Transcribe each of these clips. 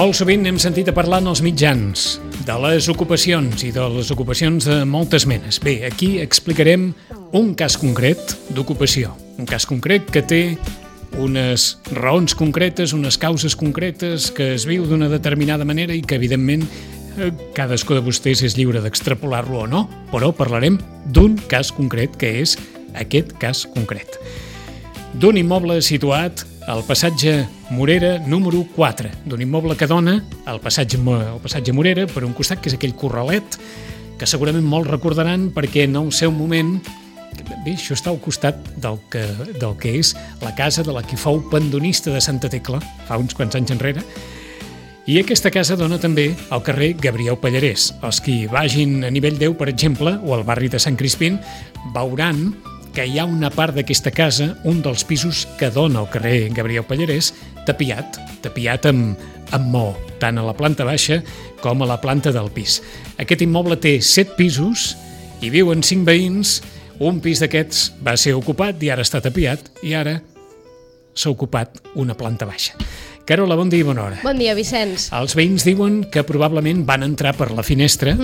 Molt sovint hem sentit a parlar en els mitjans de les ocupacions i de les ocupacions de moltes menes. Bé, aquí explicarem un cas concret d'ocupació. Un cas concret que té unes raons concretes, unes causes concretes, que es viu d'una determinada manera i que, evidentment, cadascú de vostès és lliure d'extrapolar-lo o no, però parlarem d'un cas concret, que és aquest cas concret. D'un immoble situat al passatge Morera número 4, d'un immoble que dona al passatge Morera per un costat, que és aquell corralet, que segurament molts recordaran perquè en el seu moment, bé, això està al costat del que és la casa de la qui fou pendonista de Santa Tecla, fa uns quants anys enrere, i aquesta casa dona també al carrer Gabriel Pallarès. Els qui vagin a nivell 10, per exemple, o al barri de Sant Crispín, veuran que hi ha una part d'aquesta casa, un dels pisos que dona al carrer Gabriel Pallarès, tapiat amb maó, tant a la planta baixa com a la planta del pis. Aquest immoble té 7 pisos, hi viuen 5 veïns, un pis d'aquests va ser ocupat i ara està tapiat, i ara s'ha ocupat una planta baixa. Carola, bon dia i bona hora. Bon dia, Vicenç. Els veïns diuen que probablement van entrar per la finestra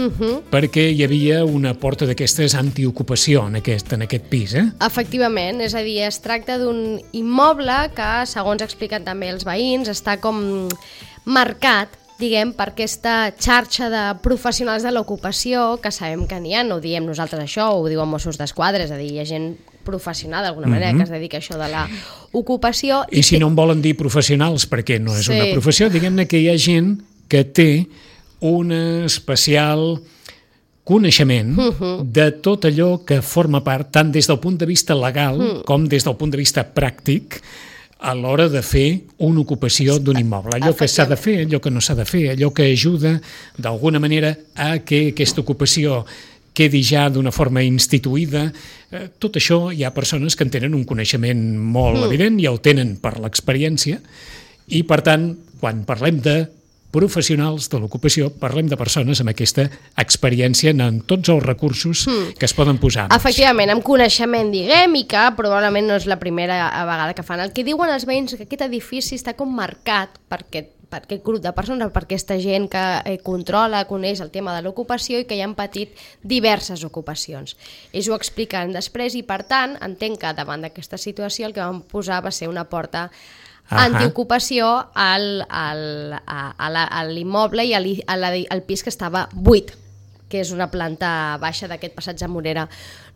perquè hi havia una porta d'aquestes antiocupació en aquest pis, eh? Efectivament, és a dir, es tracta d'un immoble que, segons expliquen també els veïns, està com marcat, diguem, per aquesta xarxa de professionals de l'ocupació, que sabem que n'hi ha, no ho diem nosaltres això, ho diuen Mossos d'Esquadra, és a dir, hi ha gent professional d'alguna manera que es dedica a això de l'ocupació. I si no en volen dir professionals, perquè no és una professió, diguem-ne que hi ha gent que té un especial coneixement de tot allò que forma part, tant des del punt de vista legal com des del punt de vista pràctic, a l'hora de fer una ocupació d'un immoble. Allò que s'ha de fer, allò que no s'ha de fer, allò que ajuda d'alguna manera a que aquesta ocupació quedi ja d'una forma instituïda. Tot això hi ha persones que en tenen un coneixement molt evident i el tenen per l'experiència i, per tant, quan parlem de professionals de l'ocupació, parlem de persones amb aquesta experiència en tots els recursos que es poden posar en marxa. Efectivament, amb coneixement, diguem, i que probablement no és la primera vegada que fan. El que diuen els veïns que aquest edifici està com marcat per aquest grup de persones, per aquesta gent que controla, coneix el tema de l'ocupació i que hi han patit diverses ocupacions. Ells ho expliquen després i, per tant, entenc que davant d'aquesta situació el que van posar va ser una porta antiocupació a l'immoble i al pis que estava buit, que és una planta baixa d'aquest passatge Morera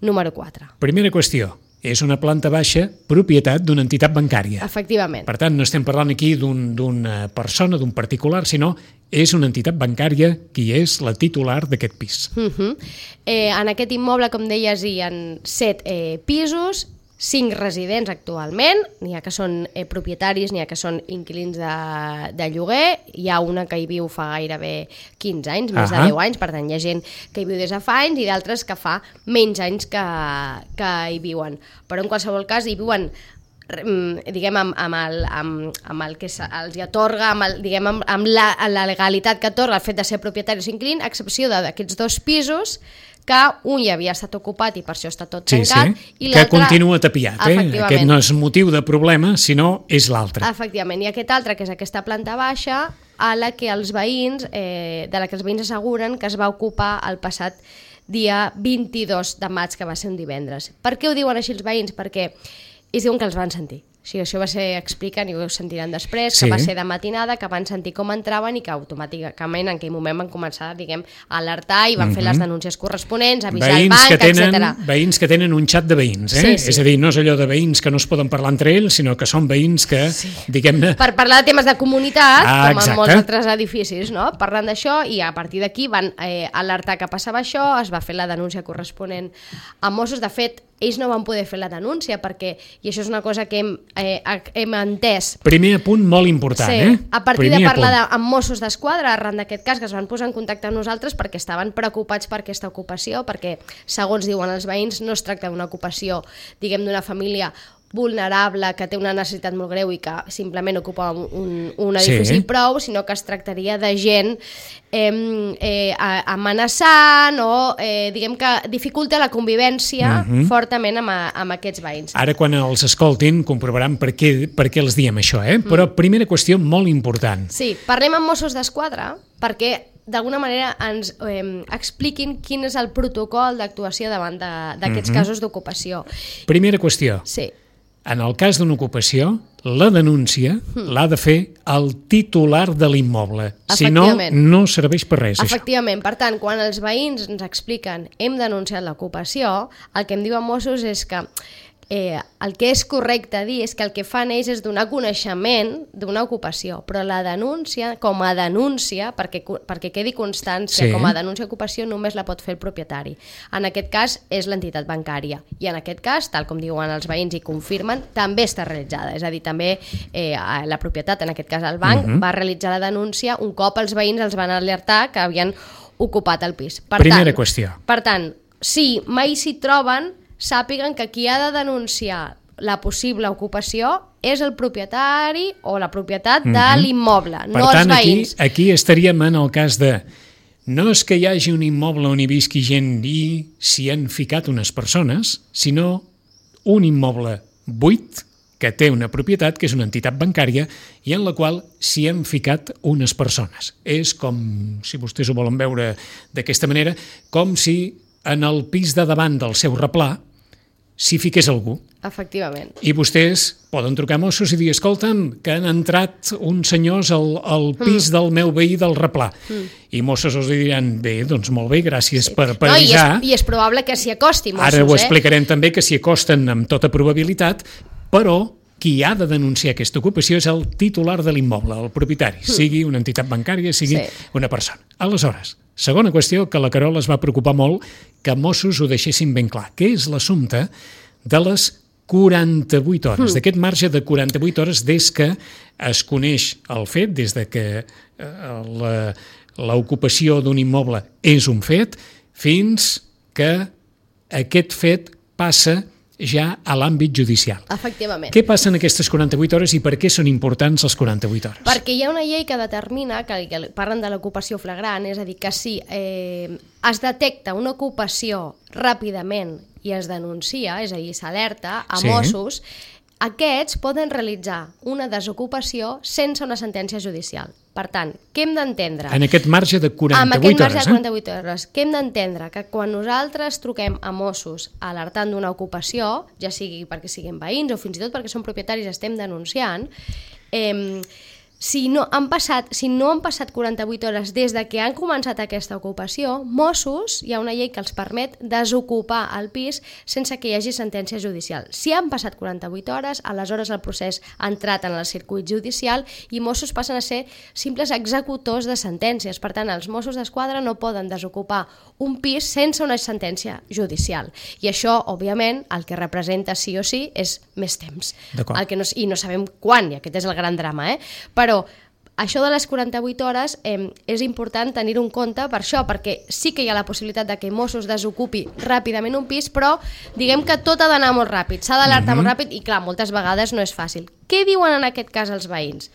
número 4. Primera qüestió. És una planta baixa propietat d'una entitat bancària. Efectivament. Per tant, no estem parlant aquí d'una persona, d'un particular, sinó és una entitat bancària qui és la titular d'aquest pis. En aquest immoble, com deies, hi ha 7 pisos, 5 residents actualment, n'hi ha que són propietaris, n'hi ha que són inquilins de lloguer, hi ha una que hi viu fa gairebé 15 anys, més de 10 anys, per tant hi ha gent que hi viu des de fa anys i d'altres que fa menys anys que hi viuen. Però en qualsevol cas hi viuen, diguem, amb el que els atorga, amb la legalitat que atorga el fet de ser propietaris o inquilins, a excepció d'aquests 2 pisos, que un ja havia estat ocupat i per això està tot tancat. I que continua tapiat. Aquest no és motiu de problema, sinó és l'altre. Efectivament, i aquest altre, que és aquesta planta baixa, de la que els veïns asseguren que es va ocupar el passat dia 22 de maig, que va ser un divendres. Per què ho diuen així els veïns? Perquè ells diuen que els van sentir. Sí, això va ser, expliquen, i ho sentiran després, que va ser de matinada, que van sentir com entraven i que automàticament en aquell moment van començar, diguem, a alertar i van fer les denúncies corresponents, avisar el banc, etc. Veïns que tenen un xat de veïns, eh? Sí. És a dir, no és allò de veïns que no es poden parlar entre ells, sinó que són veïns que, diguem-ne... Per parlar de temes de comunitat, com en molts altres edificis, no? Parlant d'això, i a partir d'aquí van alertar que passava això, es va fer la denúncia corresponent a Mossos. De fet, ells no van poder fer la denúncia perquè, i això és una cosa que hem entès... Primer punt molt important, a partir de parlar amb Mossos d'Esquadra, arran d'aquest cas, que es van posar en contacte amb nosaltres perquè estaven preocupats per aquesta ocupació, perquè, segons diuen els veïns, no es tracta d'una ocupació, diguem, d'una família vulnerable, que té una necessitat molt greu i que simplement ocupa un edifici prou, sinó que es tractaria de gent amenaçant o diguem que dificulta la convivència fortament amb aquests veïns. Ara quan els escoltin comprovaran per què els diem això, però primera qüestió molt important. Sí, parlem amb Mossos d'Esquadra perquè d'alguna manera ens expliquin quin és el protocol d'actuació davant d'aquests casos d'ocupació. Primera qüestió. Sí. En el cas d'una ocupació, la denúncia l'ha de fer el titular de l'immoble. Si no, no serveix per res, això. Efectivament. Per tant, quan els veïns ens expliquen hem denunciat l'ocupació, el que em diuen Mossos és que el que és correcte dir és que el que fan ells és donar coneixement d'una ocupació, però la denúncia, com a denúncia, perquè quedi constància, com a denúncia d'ocupació només la pot fer el propietari. En aquest cas és l'entitat bancària i en aquest cas, tal com diuen els veïns i confirmen, també està realitzada. És a dir, també la propietat, en aquest cas el banc, va realitzar la denúncia un cop els veïns els van alertar que havien ocupat el pis. Primera qüestió. Per tant, si mai s'hi troben, sàpiguen que qui ha de denunciar la possible ocupació és el propietari o la propietat de l'immoble, no els veïns. Per tant, aquí estaríem en el cas de no és que hi hagi un immoble on hi visqui gent i s'hi han ficat unes persones, sinó un immoble buit que té una propietat, que és una entitat bancària, i en la qual s'hi han ficat unes persones. És com, si vostès ho volen veure d'aquesta manera, com si en el pis de davant del seu replà s'hi fiqués algú. Efectivament. I vostès poden trucar a Mossos i dir, escolta'm, que han entrat uns senyors al pis del meu veí del replà. I Mossos els diran, bé, doncs molt bé, gràcies per avisar. I és probable que s'hi acosti Mossos. Ara ho explicarem també, que s'hi acosten amb tota probabilitat, però qui ha de denunciar aquesta ocupació és el titular de l'immoble, el propietari, sigui una entitat bancària, sigui una persona. Aleshores, segona qüestió, que la Carol es va preocupar molt que Mossos ho deixessin ben clar, que és l'assumpte de les 48 hores, d'aquest marge de 48 hores des que es coneix el fet, des de que l'ocupació d'un immoble és un fet, fins que aquest fet passa ja a l'àmbit judicial. Efectivament. Què passa en aquestes 48 hores i per què són importants les 48 hores? Perquè hi ha una llei que determina, que parlen de l'ocupació flagrant, és a dir, que si es detecta una ocupació ràpidament i es denuncia, és a dir, s'alerta a Mossos, aquests poden realitzar una desocupació sense una sentència judicial. Per tant, què hem d'entendre? En aquest marge de 48 hores. En aquest marge de 48 hores. Què hem d'entendre? Que quan nosaltres truquem a Mossos alertant d'una ocupació, ja sigui perquè siguin veïns o fins i tot perquè són propietaris i estem denunciant, si no han passat 48 hores des de que han començat aquesta ocupació, Mossos, hi ha una llei que els permet desocupar el pis sense que hi hagi sentència judicial. Si han passat 48 hores, aleshores el procés ha entrat en el circuit judicial i Mossos passen a ser simples executors de sentències. Per tant, els Mossos d'Esquadra no poden desocupar un pis sense una sentència judicial. I això, òbviament, el que representa sí o sí és més temps. I no sabem quan, i aquest és el gran drama, Però això de les 48 hores és important tenir-ho en compte per això, perquè sí que hi ha la possibilitat de que Mossos desocupi ràpidament un pis, però diguem que tot ha d'anar molt ràpid, s'ha d'alertar molt ràpid i clar, moltes vegades no és fàcil. Què diuen en aquest cas els veïns?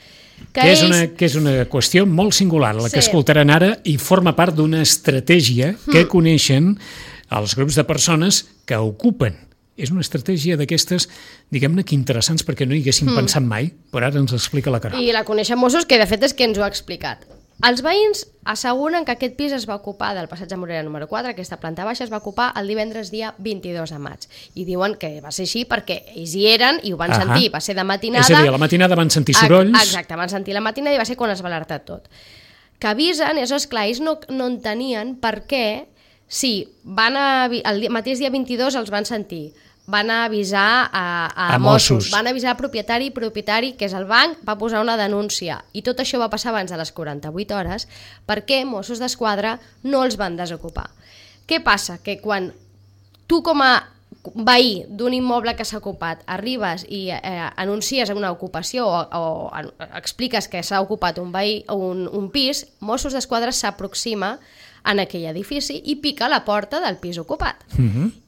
Que és una qüestió molt singular, la que escoltaran ara, i forma part d'una estratègia que coneixen els grups de persones que ocupen. És una estratègia d'aquestes, diguem-ne que interessants perquè no hi haguéssim pensat mai, però ara ens explica la Carol. I la coneixen Mossos, que de fet és que ens ho ha explicat. Els veïns asseguren que aquest pis es va ocupar del passatge Morera número 4, aquesta planta baixa es va ocupar el divendres dia 22 de maig. I diuen que va ser així perquè ells hi eren i ho van sentir, va ser de matinada. És a dir, a la matinada van sentir sorolls. Exacte, van sentir la matinada i va ser quan es va alertar tot. Que avisen, és clar, ells no entenien per què, si el mateix dia 22 els van sentir, van a avisar a Mossos, van avisar al propietari, que és el banc, va posar una denúncia. I tot això va passar abans de les 48 hores perquè Mossos d'Esquadra no els van desocupar. Què passa? Que quan tu com a veí d'un immoble que s'ha ocupat arribes i anuncies una ocupació o expliques que s'ha ocupat un pis, Mossos d'Esquadra s'aproxima en aquell edifici i pica a la porta del pis ocupat.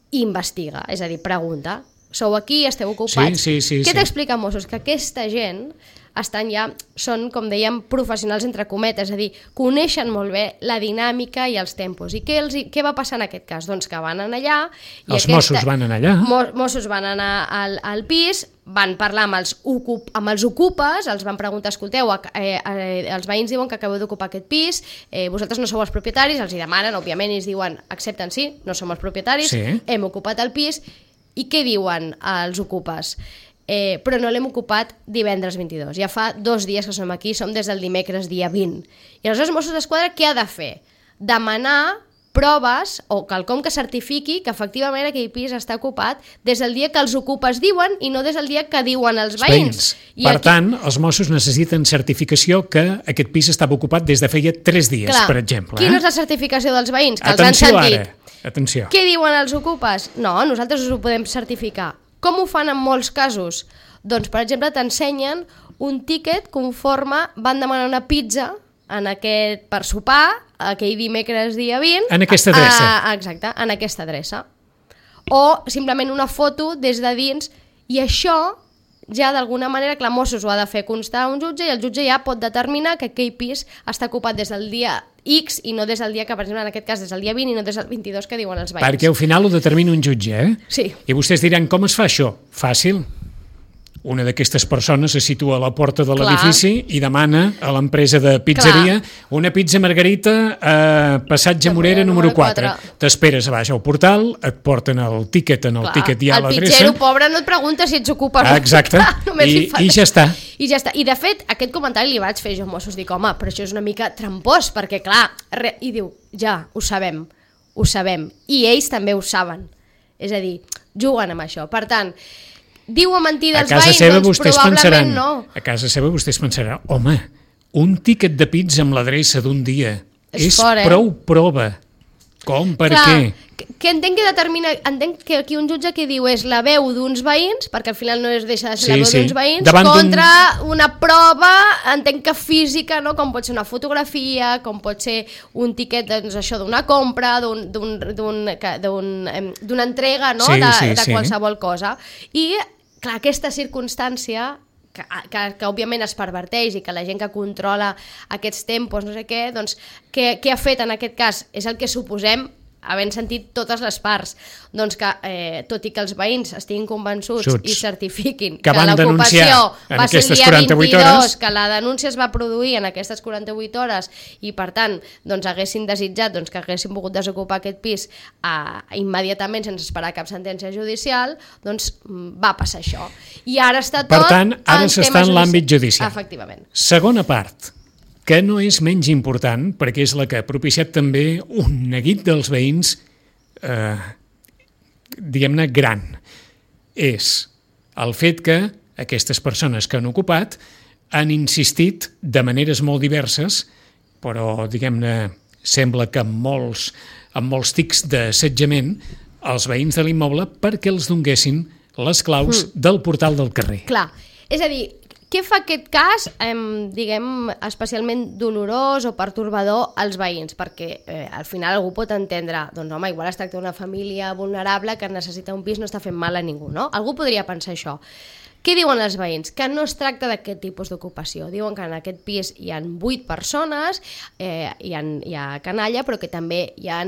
I investiga, és a dir, pregunta, sou aquí, esteu ocupats. Sí. Què t'explica Mossos? Que aquesta gent són, com dèiem, professionals entre cometes, és a dir, coneixen molt bé la dinàmica i els tempos. I què va passar en aquest cas? Doncs que van anar allà... Mossos van anar allà. Mossos van anar al pis, van parlar amb els ocupes, els van preguntar, escolteu, els veïns diuen que acabeu d'ocupar aquest pis, vosaltres no sou els propietaris, els hi demanen, òbviament, i es diuen, accepten, sí, no som els propietaris, hem ocupat el pis, i què diuen els ocupes? Però no l'hem ocupat divendres 22. Ja fa 2 dies que som aquí, som des del dimecres dia 20. I aleshores Mossos d'Esquadra què ha de fer? Demanar proves o quelcom que certifiqui que efectivament aquell pis està ocupat des del dia que els ocupes diuen i no des del dia que diuen els veïns. Per tant, els Mossos necessiten certificació que aquest pis estava ocupat des de feia 3 dies, per exemple. Quina és la certificació dels veïns? Que els han sentit. Atenció. Què diuen els ocupes? No, nosaltres us ho podem certificar. Com ho fan en molts casos? Doncs, per exemple, t'ensenyen un tíquet conforme van demanar una pizza per sopar aquell dimecres dia 20. En aquesta adreça. Exacte, en aquesta adreça. O simplement una foto des de dins, i això ja d'alguna manera, clar, Mossos ho ha de fer constar a un jutge i el jutge ja pot determinar que aquell pis està ocupat des del dia X i no des del dia que, per exemple, en aquest cas, des del dia 20 i no des del 22 que diuen els veïns. Perquè al final ho determina un jutge, eh? Sí. I vostès diran, com es fa això? Fàcil. Una d'aquestes persones se situa a la porta de l'edifici i demana a l'empresa de pizzeria una pizza margarita a Passatge Morera número 4. T'esperes a baix al portal, et porten el tíquet, en el tíquet hi ha l'adreça. El pizzero, pobre, no et pregunta si ets ocupes. Exacte, i ja està. I ja està. I de fet, aquest comentari li vaig fer jo a Mossos, dic, home, però això és una mica trampós, perquè clar, i diu, ja, ho sabem, i ells també ho saben. És a dir, juguen amb això. Per tant, diu a mentir dels veïns, doncs probablement no. A casa seva vostès pensaran, home, un tíquet de pizza amb l'adreça d'un dia és prou prova. Com, per què? Que entenc que aquí un jutge que diu és la veu d'uns veïns, perquè al final no deixa de ser la veu d'uns veïns, contra una prova, entenc que física, no? Com pot ser una fotografia, com pot ser un tíquet, doncs això, d'una compra, d'una entrega, no? De qualsevol cosa. I clar, aquesta circumstància que òbviament es perverteix i que la gent que controla aquests tempos, no sé què, doncs què ha fet en aquest cas? És el que suposem, havent sentit totes les parts, doncs que tot i que els veïns estiguin convençuts i certifiquin que l'ocupació va ser el dia 22, que la denúncia es va produir en aquestes 48 hores i per tant doncs haguessin desitjat que haguessin pogut desocupar aquest pis immediatament sense esperar cap sentència judicial, doncs va passar això. I ara està tot... Per tant, ara s'està en l'àmbit judicial. Efectivament. Segona part, que no és menys important, perquè és la que ha propiciat també un neguit dels veïns, diguem-ne, gran. És el fet que aquestes persones que han ocupat han insistit de maneres molt diverses, però, diguem-ne, sembla que amb molts tics d'assetjament, als veïns de l'immoble perquè els donguessin les claus del portal del carrer. Clar, és a dir, què fa aquest cas, diguem, especialment dolorós o pertorbador als veïns? Perquè al final algú pot entendre, doncs home, igual es tracta d'una família vulnerable que necessita un pis, no està fent mal a ningú, no? Algú podria pensar això. Què diuen els veïns? Que no es tracta d'aquest tipus d'ocupació. Diuen que en aquest pis hi ha 8 persones, hi ha canalla, però que també hi ha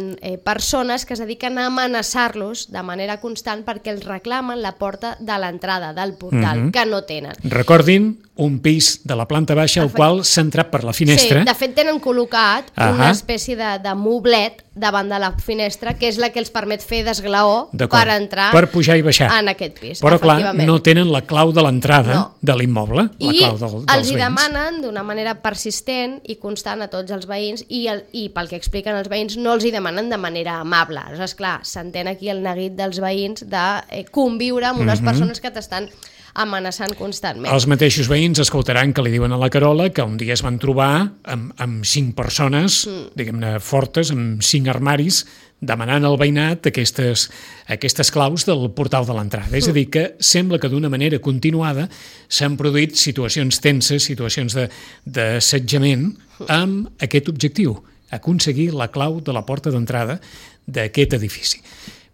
persones que es dediquen a amenaçar-los de manera constant perquè els reclamen la porta de l'entrada del portal, que no tenen. Recordin un pis de la planta baixa al qual s'ha entrat per la finestra. Sí, de fet tenen col·locat una espècie de moblet davant de la finestra, que és la que els permet fer d'esglaó per entrar, per pujar i baixar en aquest pis. Però clar, no tenen la clau de l'entrada de l'immoble, la clau dels veïns. I els hi demanen d'una manera persistent i constant a tots els veïns i pel que expliquen els veïns no els hi demanen de manera amable. Aleshores, clar, s'entén aquí el neguit dels veïns de conviure amb unes persones que t'estan amenaçant constantment. Els mateixos veïns escoltaran que li diuen a la Carola que un dia es van trobar amb 5 persones, diguem-ne, fortes, amb 5 armaris, demanant al veïnat aquestes claus del portal de l'entrada. És a dir, que sembla que d'una manera continuada s'han produït situacions tenses, situacions d'assetjament amb aquest objectiu, aconseguir la clau de la porta d'entrada d'aquest edifici.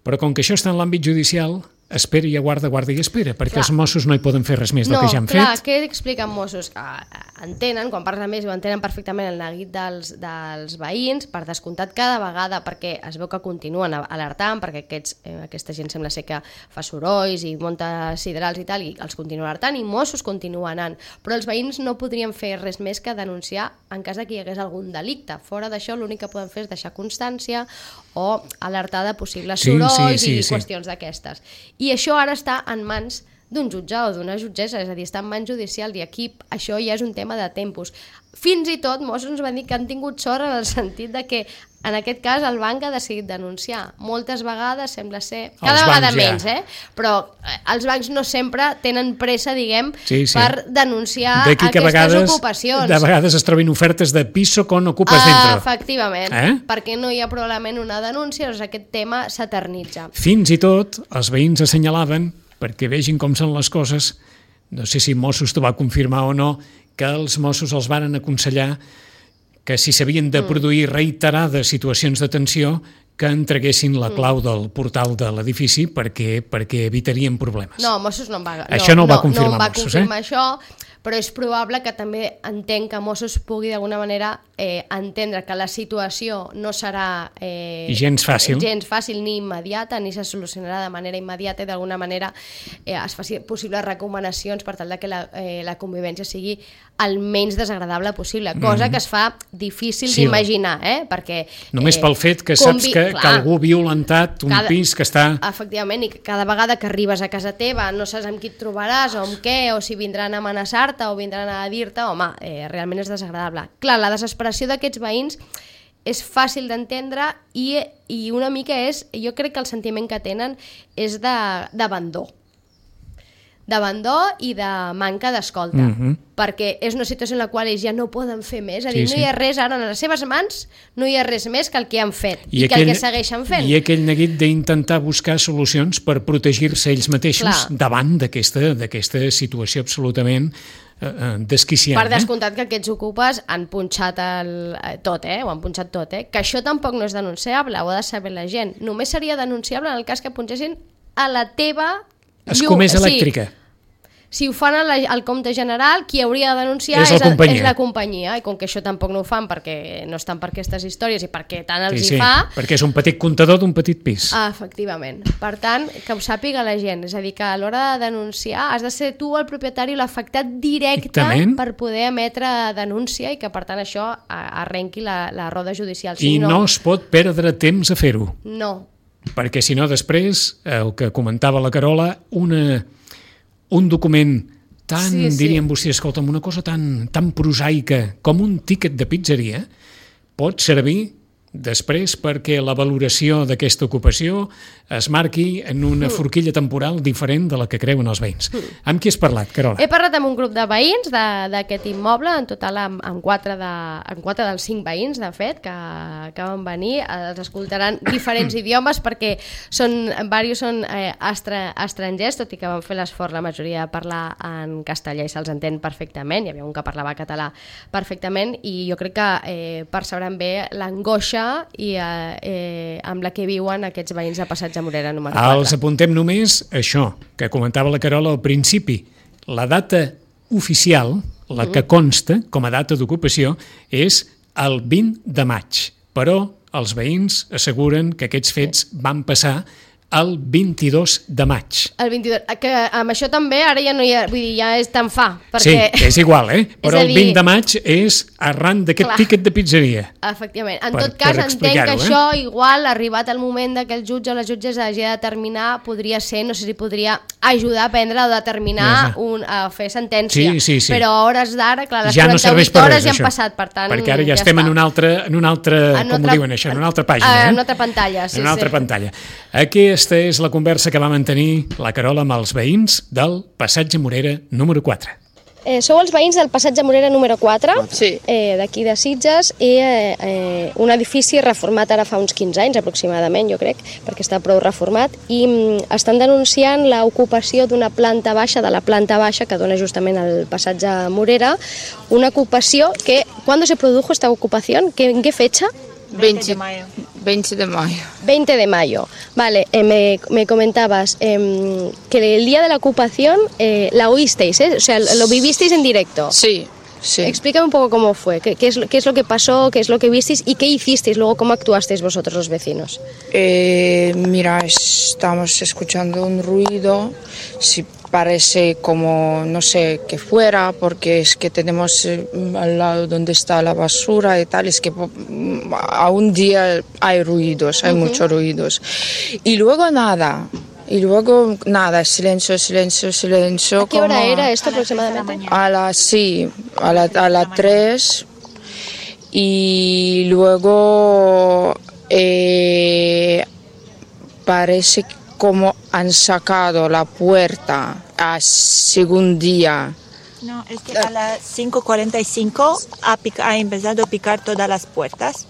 Però com que això està en l'àmbit judicial, espera i aguarda, guarda i espera, perquè els Mossos no hi poden fer res més del que ja han fet. No, clar, què expliquen Mossos? Entenen, quan parles amb ells, ho entenen perfectament el neguit dels veïns, per descomptat cada vegada, perquè es veu que continuen alertant, perquè aquesta gent sembla ser que fa sorolls i munta siderals i tal, i els continua alertant, i Mossos continuen anant. Però els veïns no podrien fer res més que denunciar en cas que hi hagués algun delicte. Fora d'això, l'únic que poden fer és deixar constància o alertar de possibles sorolls i qüestions d'aquestes. I això ara està en mans d'un jutge o d'una jutgessa, és a dir, està en mans judicial, i aquí això ja és un tema de tempos. Fins i tot Mossos ens van dir que han tingut sort en el sentit de que en aquest cas el banc ha decidit denunciar. Moltes vegades sembla ser, cada vegada menys, però els bancs no sempre tenen pressa, diguem, per denunciar aquestes ocupacions. De vegades es trobin ofertes de piso con ocupas dentro. Efectivament, perquè no hi ha probablement una denúncia, doncs aquest tema s'eternitza. Fins i tot els veïns assenyalaven, perquè vegin com són les coses, no sé si Mossos t'ho va confirmar o no, que els Mossos els varen aconsellar que si s'havien de produir reiterades situacions de tensió, que entreguessin la clau del portal de l'edifici perquè evitarien problemes. No, Mossos no em va confirmar Mossos, això, però és probable que també entenc que Mossos pugui d'alguna manera entendre que la situació no serà gens fàcil ni immediata, ni se solucionarà de manera immediata, i d'alguna manera es faci possibles recomanacions per tal que la convivència sigui el menys desagradable possible, cosa que es fa difícil d'imaginar, perquè... Només pel fet que saps que algú ha violentat un pis que està... Efectivament, i cada vegada que arribes a casa teva no saps amb qui et trobaràs o amb què, o si vindran a amenaçar-te o vindran a dir-te, home, realment és desagradable. Clar, la desesperació d'aquests veïns és fàcil d'entendre i una mica jo crec que el sentiment que tenen és d'abandó i de manca d'escolta, perquè és una situació en la qual ells ja no poden fer més, és a dir, no hi ha res ara en les seves mans, no hi ha res més que el que han fet i que el que segueixen fent. I aquell neguit d'intentar buscar solucions per protegir-se ells mateixos davant d'aquesta situació absolutament desquiciant. Per descomptat que aquests ocupes han punxat tot, ho han punxat tot, que això tampoc no és denunciable, ho ha de saber la gent. Només seria denunciable en el cas que punxessin a la teva escomesa elèctrica. Si ho fan al compte general, qui hauria de denunciar és la companyia, i com que això tampoc no ho fan perquè no estan per aquestes històries i perquè tant els hi fa... perquè és un petit comptador d'un petit pis. Efectivament. Per tant, que ho sàpiga la gent, és a dir, que a l'hora de denunciar has de ser tu el propietari o l'afectat directe per poder emetre denúncia i que per tant això arrenqui la roda judicial. I no es pot perdre temps a fer-ho. No. Perquè si no després, el que comentava la Carola, un document tan, dirien vostès, escolta'm, una cosa tan prosaica com un tíquet de pizzeria pot servir després perquè la valoració d'aquesta ocupació es marqui en una forquilla temporal diferent de la que creuen els veïns. Amb qui has parlat, Carola? He parlat amb un grup de veïns d'aquest immoble, en total amb 4 dels 5 veïns, de fet, que van venir. Els escoltaran diferents idiomes perquè diversos són estrangers, tot i que van fer l'esforç la majoria de parlar en castellà i se'ls entén perfectament. Hi havia un que parlava català perfectament i jo crec que percebran bé l'angoixa i amb la que viuen aquests veïns de Passatge Morera número 4. Els apuntem només això que comentava la Carola al principi. La data oficial, la que consta com a data d'ocupació, és el 20 de maig, però els veïns asseguren que aquests fets van passar el 22 de maig. El 22, que amb això també ara ja no hi ha, vull dir, ja és tan fa. Perquè... Sí, és igual, però el 20 de maig és arran d'aquest tíquet de pizzeria. Efectivament. En tot cas, entenc que això, igual, arribat el moment que el jutge o la jutgessa hagi de determinar, podria ser, no sé si podria ajudar a prendre o determinar, a fer sentència. Sí. Però a hores d'ara, clar, les ja 48 hores ja han passat, per tant... Perquè ara ja estem en una altra, com ho diuen això, en una altra pàgina. En una altra pantalla, sí. En una altra pantalla. Aquesta és la conversa que va mantenir la Carola amb els veïns del Passatge Morera número 4. Sou els veïns del Passatge Morera número 4, d'aquí de Sitges, i un edifici reformat ara fa uns 15 anys aproximadament, jo crec, perquè està prou reformat, i estan denunciant l'ocupació d'una planta baixa, de la planta baixa que dona justament al Passatge Morera, una ocupació que, ¿cuándo se produjo esta ocupación? ¿En qué fecha? 20 de mayo. 20 de mayo. 20 de mayo. Vale, me comentabas que el día de la ocupación la oísteis, ¿eh? O sea, lo vivisteis en directo. Sí, sí. Explícame un poco cómo fue, qué es lo que pasó, qué es lo que visteis y qué hicisteis luego, cómo actuasteis vosotros los vecinos. Mira, estamos escuchando un ruido, sí, parece como, no sé, que fuera, porque es que tenemos al lado donde está la basura y tal, es que a un día hay ruidos, hay muchos ruidos. Y luego nada, silencio, silencio, silencio. ¿A qué hora era esto aproximadamente? A las 3, y luego parece como han sacado la puerta a segundo día. No, es que a las 5:45 ha empezado a picar todas las puertas.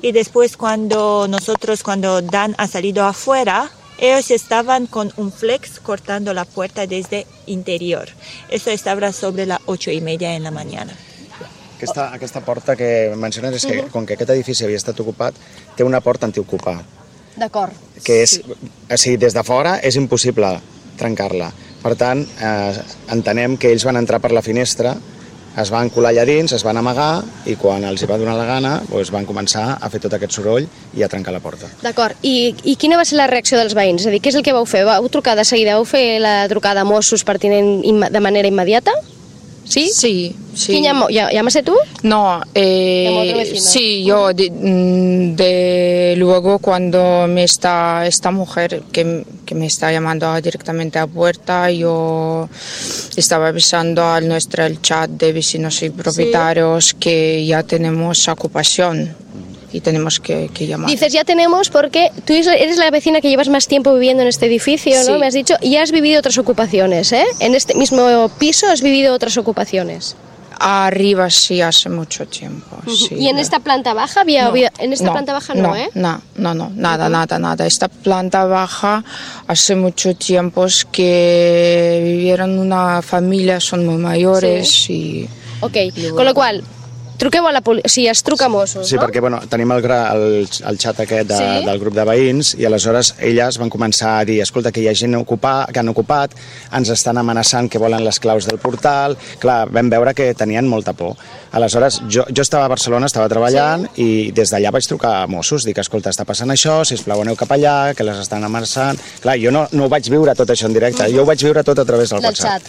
Y después cuando Dan ha salido afuera, ellos estaban con un flex cortando la puerta desde interior. Eso estava sobre las 8:30 en la mañana. Aquesta porta que menciones és que, com que aquest edifici havia estat ocupat, té una porta antiocupada. D'acord. Que és, o sigui, des de fora és impossible trencar-la. Per tant, entenem que ells van entrar per la finestra, es van colar allà dins, es van amagar i quan els hi va donar la gana doncs van començar a fer tot aquest soroll i a trencar la porta. D'acord. I quina va ser la reacció dels veïns? És a dir, què és el que vau fer? Vau trucar de seguida? Vau fer la trucada a Mossos pertinent de manera immediata? ¿Sí? Sí. ¿Quién llamó? ¿Llamaste tú? No, sí, yo luego cuando esta mujer que me está llamando directamente a puerta, yo estaba avisando el chat de vecinos y propietarios que ya tenemos ocupación. Y tenemos que llamar. Dices, ya tenemos, porque tú eres la vecina que llevas más tiempo viviendo en este edificio, ¿no? Sí. Me has dicho, y has vivido otras ocupaciones, ¿eh? En este mismo piso has vivido otras ocupaciones. Arriba sí, hace mucho tiempo. Sí. ¿Y en esta planta baja había? En esta planta baja no, ¿eh? No, nada. Esta planta baja hace mucho tiempo que vivieron una familia, son muy mayores y... Ok, con lo cual... Truqueu a la policia, o sigui, es truca a Mossos, Sí, no? perquè tenim el xat aquest del grup de veïns i aleshores elles van començar a dir escolta, que hi ha gent que han ocupat, ens estan amenaçant que volen les claus del portal. Clar, vam veure que tenien molta por. Aleshores, jo estava a Barcelona, estava treballant i des d'allà vaig trucar a Mossos, dic, escolta, està passant això, sisplau, aneu cap allà, que les estan amenaçant. Clar, jo no ho vaig viure tot això en directe, jo ho vaig viure tot a través del WhatsApp.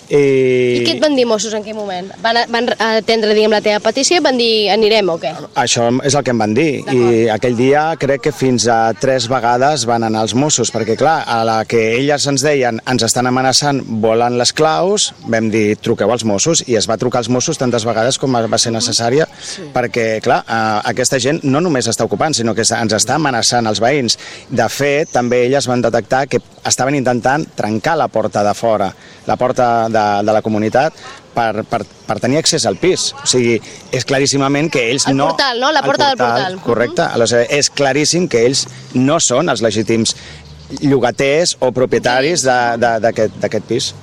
I què et van dir Mossos en quin moment? Van atendre, diguem, la teva petició i van dir anirem o què? Això és el que em van dir i aquell dia crec que fins a 3 vegades van anar els Mossos perquè clar, a la que elles ens deien ens estan amenaçant, volen les claus, vam dir truqueu als Mossos i es va trucar als Mossos tantes vegades com va ser necessària perquè clar, aquesta gent no només està ocupant sinó que ens està amenaçant els veïns. De fet, també elles van detectar que estaven intentant trencar la porta de fora, la porta de la comunitat per tenir accés al pis. O sigui, és claríssimament que ells no... El portal, no? La porta del portal. Correcte. Aleshores, és claríssim que ells no són els legítims llogaters o propietaris d'aquest pis.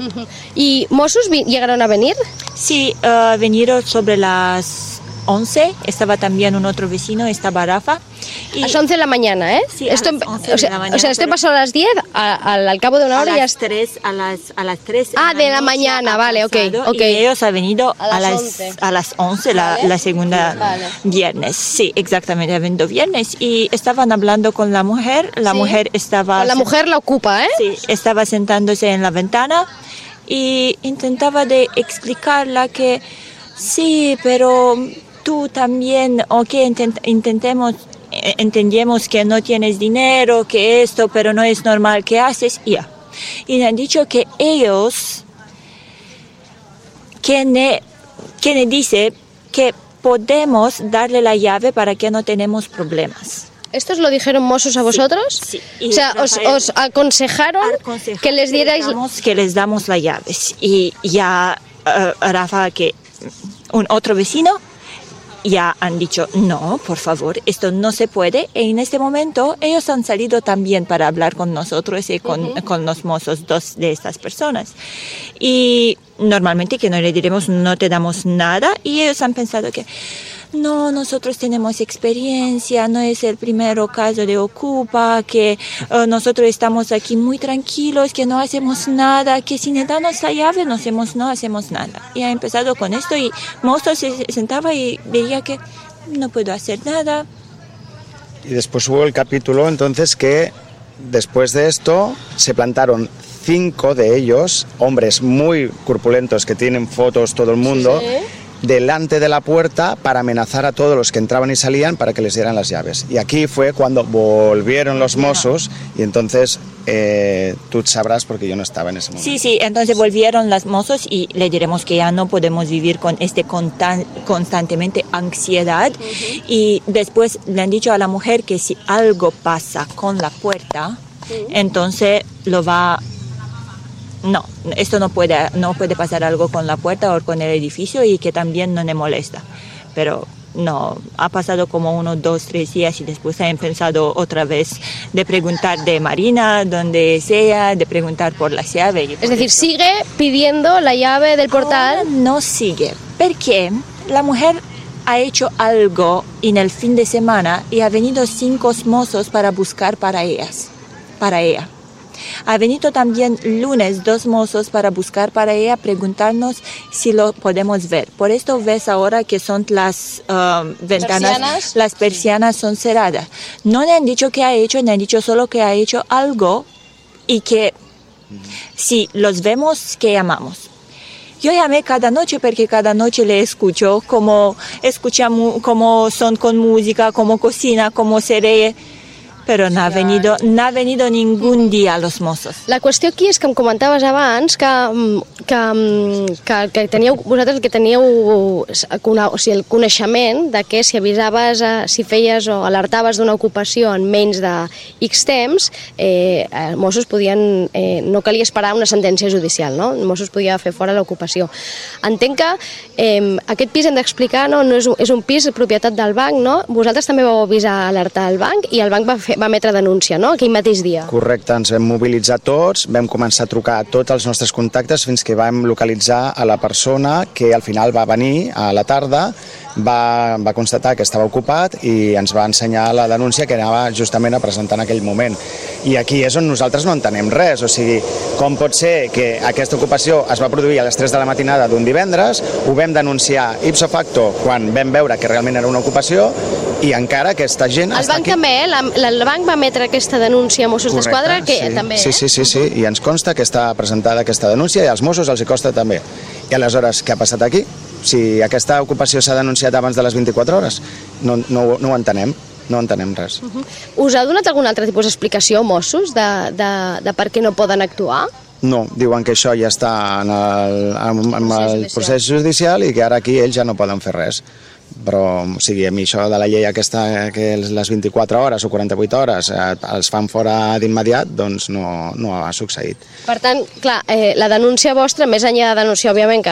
¿Y Mossos llegaron a venir? Sí, vinieron sobre las 11, estaba también un otro vecino, estaba Rafa. A las 11 de la mañana, ¿eh? Sí, a las 11 de la mañana. O sea, esto pasó a las 10, al cabo de una hora ya... A las 3 de la mañana, vale, ok. Y ellos han venido a las 11 vale. la segunda viernes. Sí, exactamente, evento viernes. Y estaban hablando con la mujer, mujer estaba... Con la mujer la ocupa, ¿eh? Sí, estaba sentándose en la ventana y intentaba de explicarla que sí, pero tú también, entendemos que no tienes dinero, que esto, pero no es normal que haces, ya. Y me han dicho que ellos, que dice que podemos darle la llave para que no tenemos problemas. ¿Esto os lo dijeron Mossos a vosotros? Sí. O sea, os aconsejaron que les dierais... Que les damos la llave. Y ya Rafa, que un otro vecino, ya han dicho, no, por favor, esto no se puede. Y en este momento ellos han salido también para hablar con nosotros y con los mozos, 2 de estas personas. Y normalmente que no le diremos, no te damos nada. Y ellos han pensado que, no, nosotros tenemos experiencia, no es el primer caso de Ocupa, que nosotros estamos aquí muy tranquilos, que no hacemos nada, que si nos dan la llave no hacemos nada. Y ha empezado con esto y Mozo se sentaba y veía que no puedo hacer nada. Y después hubo el capítulo entonces que después de esto se plantaron 5 de ellos, hombres muy corpulentos que tienen fotos todo el mundo, sí, delante de la puerta para amenazar a todos los que entraban y salían para que les dieran las llaves. Y aquí fue cuando volvieron los Mossos y entonces tú sabrás porque yo no estaba en ese momento. Sí, entonces volvieron los Mossos y le diremos que ya no podemos vivir con constantemente ansiedad. Y después le han dicho a la mujer que si algo pasa con la puerta, entonces no, esto no puede pasar algo con la puerta o con el edificio y que también no me molesta. Pero no, ha pasado como 1, 2, 3 días y después ha empezado otra vez de preguntar de Marina, donde sea, de preguntar por la llave. Es decir, sigue pidiendo la llave del portal. Ahora no sigue, porque la mujer ha hecho algo en el fin de semana y ha venido 5 mozos para buscar para ella. Ha venido también lunes 2 mozos para buscar para ella, preguntarnos si lo podemos ver. Por esto ves ahora que son las ventanas, las persianas son cerradas. No le han dicho qué ha hecho, le han dicho solo que ha hecho algo y que si los vemos, que llamamos. Yo llamé cada noche porque cada noche le escucho cómo son con música, cómo cocina, cómo se ríe. Però no ha venido ningún dia los Mossos. La qüestió aquí és que em comentaves abans que teníeu, vosaltres que teníeu el coneixement de que si avisaves, si feies o alertaves d'una ocupació en menys de X temps, els Mossos podien, no calia esperar una sentència judicial, no? Els Mossos podia fer fora l'ocupació. Entenc que aquest pis hem d'explicar, no és un pis propietat del banc, no? Vosaltres també vau avisar, alertar al banc i el banc va emetre denúncia, no?, aquell mateix dia. Correcte, ens vam mobilitzar tots, vam començar a trucar a tots els nostres contactes fins que vam localitzar a la persona que al final va venir a la tarda, va constatar que estava ocupat i ens va ensenyar la denúncia que anava justament a presentar en aquell moment. I aquí és on nosaltres no entenem res, o sigui, com pot ser que aquesta ocupació es va produir a les 3 de la matinada d'un divendres, ho vam denunciar ipso facto quan vam veure que realment era una ocupació i encara aquesta gent està aquí. El banc va emetre aquesta denúncia a Mossos d'Esquadra, que també... Sí, i ens consta que està presentada aquesta denúncia i als Mossos els hi costa també. I aleshores, què ha passat aquí? Si aquesta ocupació s'ha denunciat abans de les 24 hores, no ho entenem. No entenem res. Us ha donat algun altre tipus d'explicació, Mossos, de per què no poden actuar? No, diuen que això ja està en el procés judicial i que ara aquí ells ja no poden fer res. Però, o sigui, a mi això de la llei aquesta que les 24 hores o 48 hores els fan fora d'immediat, doncs no ha succeït. Per tant, clar, la denúncia vostra, més enllà de denunciar, òbviament,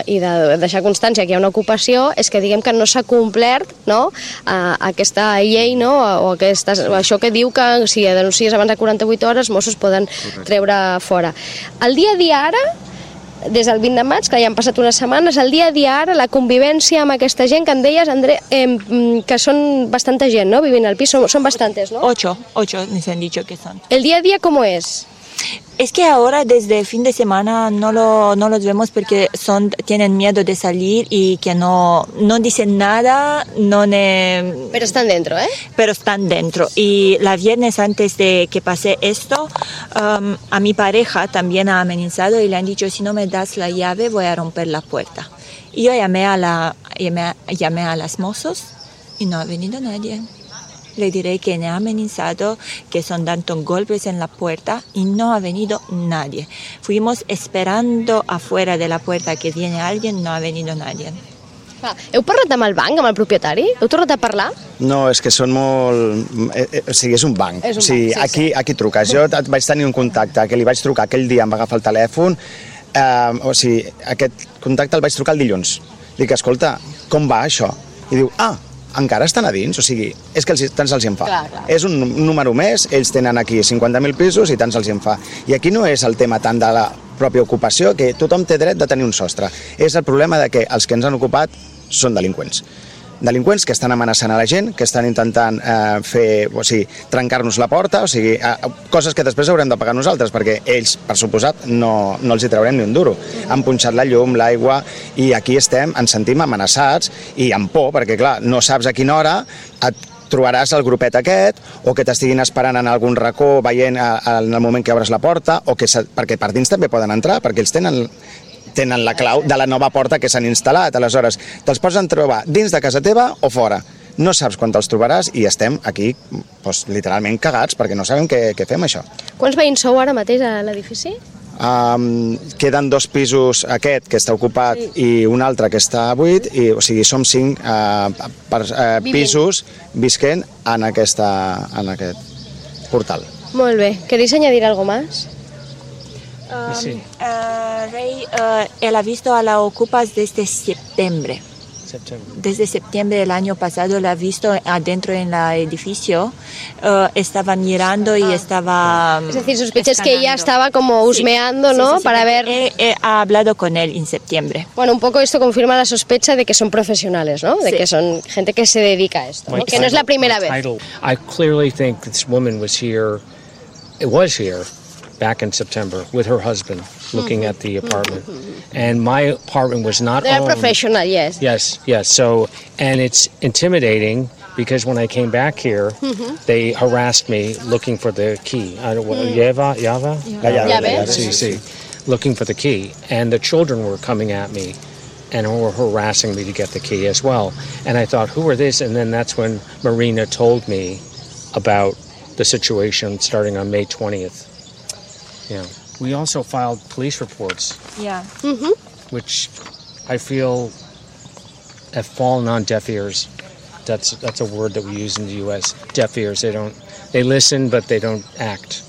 i de deixar constància que hi ha una ocupació, és que diguem que no s'ha complert, no?, aquesta llei, no?, o això que diu que si denuncies abans de 48 hores, Mossos poden treure fora. El dia a dia ara, des del 20 de maig, que ja han passat unes setmanes, el dia a dia ara, la convivència amb aquesta gent que em deies, André, que són bastanta gent, ¿no?, vivint al pis, són bastantes, ¿no? 8 nos han dicho que son. ¿El día a día cómo es? Es que ahora desde el fin de semana no los vemos porque tienen miedo de salir y que no dicen nada, Pero están dentro, ¿eh? Pero están dentro. Y la viernes antes de que pase esto, a mi pareja también ha amenazado y le han dicho, si no me das la llave voy a romper la puerta. Y yo llamé a las Mossos y no ha venido nadie. Le diré que me ha amenazado, que son dando golpes en la puerta y no ha venido nadie. Fuimos esperando afuera de la puerta que viene alguien, no ha venido nadie. Heu parlat amb el banc, amb el propietari? Heu tornat a parlar? No, és que són molt... O sigui, és un banc. O sigui, aquí truques. Jo vaig tenir un contacte que li vaig trucar aquell dia, em va agafar el telèfon. O sigui, aquest contacte el vaig trucar el dilluns. Dic, escolta, com va això? I diu, encara estan a dins, o sigui, és que tant se'ls en fa. Clar. És un número més, ells tenen aquí 50.000 pisos i tant se'ls en fa. I aquí no és el tema tant de la pròpia ocupació, que tothom té dret de tenir un sostre. És el problema de que els que ens han ocupat són delinqüents. delinqüents que estan amenaçant a la gent, que estan intentant trencar-nos la porta, coses que després haurem de pagar nosaltres, perquè ells, per suposat, no els hi traurem ni un duro. Han punxat la llum, l'aigua, i aquí ens sentim amenaçats i amb por, perquè clar, no saps a quina hora et trobaràs el grupet aquest, o que t'estiguin esperant en algun racó veient en el moment que obres la porta, perquè per dins també poden entrar, perquè ells tenen la clau de la nova porta que s'han instal·lat. Aleshores, te'ls pots trobar dins de casa teva o fora. No saps quan te'ls trobaràs i estem aquí literalment cagats perquè no sabem què fem, això. Quants veïns sou ara mateix a l'edifici? Queden 2 pisos, aquest que està ocupat i un altre que està buit, o sigui, som 5 pisos visquent en aquest portal. Molt bé. ¿Queréis añadir algo más? Sí. Rey, él ha visto a la Ocupas desde septiembre. Desde septiembre del año pasado la ha visto adentro en el edificio, estaba mirando y estaba... Es decir, sospechas que ella estaba como husmeando, ¿no? Sí, para ver... Ha hablado con él en septiembre. Bueno, un poco esto confirma la sospecha de que son profesionales, ¿no? De que son gente que se dedica a esto, ¿no? Que no es la primera vez. I clearly think this woman was here back in September with her husband looking at the apartment. And my apartment was not They're owned. Professional, yes. Yes. So, and it's intimidating because when I came back here, they harassed me looking for the key. Llave? Sí. Looking for the key. And the children were coming at me and were harassing me to get the key as well. And I thought, who are these? And then that's when Marina told me about the situation starting on May 20th. Yeah. We also filed police reports. Yeah. Which I feel have fallen on deaf ears. That's a word that we use in the U.S. Deaf ears. They listen, but they don't act.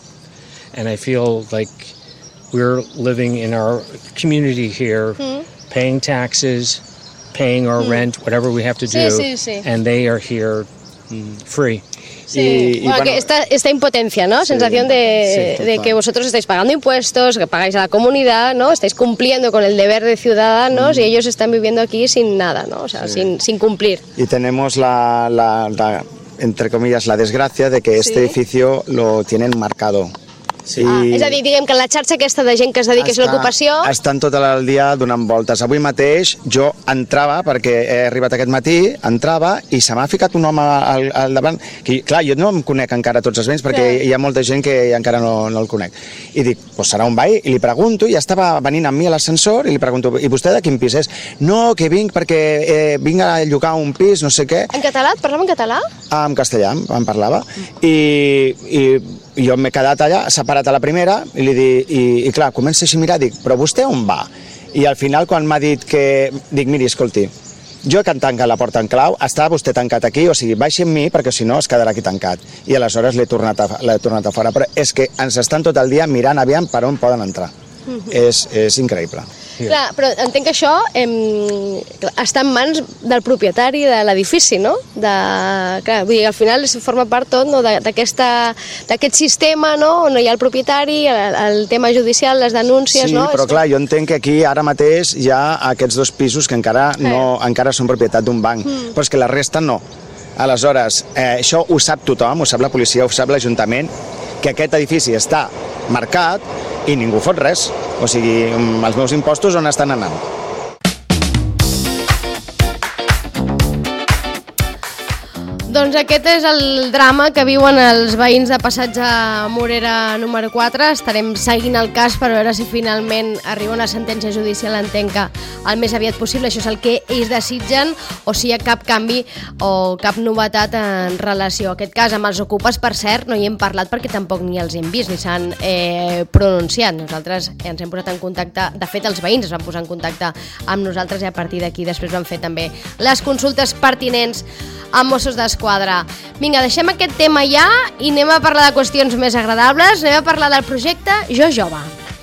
And I feel like we're living in our community here, paying taxes, paying our rent, whatever we have to do, and they are here free. Sí. Bueno, que esta impotencia, ¿no? Sensación de que vosotros estáis pagando impuestos, que pagáis a la comunidad, ¿no? Estáis cumpliendo con el deber de ciudadanos y ellos están viviendo aquí sin nada, ¿no? O sea, sin cumplir. Y tenemos entre comillas, la desgracia de que este edificio lo tienen marcado. Sí. És a dir, diguem que la xarxa aquesta de gent que es dedica a l'ocupació... Estan tot el dia donant voltes. Avui mateix jo entrava, perquè he arribat aquest matí, entrava i se m'ha ficat un home al davant, que clar, jo no em conec encara tots els veïns perquè hi ha molta gent que encara no el conec. I dic, doncs serà un veí, i li pregunto, i estava venint amb mi a l'ascensor, i li pregunto, i vostè de quin pis és? No, que vinc perquè vinc a llogar un pis, no sé què. En català? Et parlava en català? En castellà, em parlava. I jo m'he quedat allà, separat a la primera, i clar, comença així a mirar, dic, però vostè on va? I al final, quan m'ha dit que... Dic, miri, escolti, jo que tanca la porta en clau, està vostè tancat aquí, o sigui, baixi amb mi, perquè si no es quedarà aquí tancat. I aleshores l'he tornat a fora. Però és que ens estan tot el dia mirant aviam per on poden entrar. És increïble. Clar, però entenc que això està en mans del propietari de l'edifici, no? Clar, vull dir, al final forma part tot d'aquest sistema, no? On hi ha el propietari, el tema judicial, les denúncies, no? Sí, però clar, jo entenc que aquí ara mateix hi ha aquests 2 pisos que encara són propietat d'un banc, però és que la resta no. Aleshores, això ho sap tothom, ho sap la policia, ho sap l'Ajuntament, que aquest edifici està marcat i ningú fot res. O sigui, els meus impostos on estan anant? Doncs aquest és el drama que viuen els veïns de Passatge Morera número 4. Estarem seguint el cas per veure si finalment arriba una sentència judicial, entenc que el més aviat possible, això és el que ells desitgen, o si hi ha cap canvi o cap novetat en relació a aquest cas. Amb els ocupes, per cert, no hi hem parlat perquè tampoc ni els hem vist ni s'han pronunciat. Nosaltres ens hem posat en contacte, de fet els veïns es van posar en contacte amb nosaltres i a partir d'aquí després van fer també les consultes pertinents amb Mossos d'Esquadra. Vinga, deixem aquest tema ja i anem a parlar de qüestions més agradables, anem a parlar del projecte Jo Jove.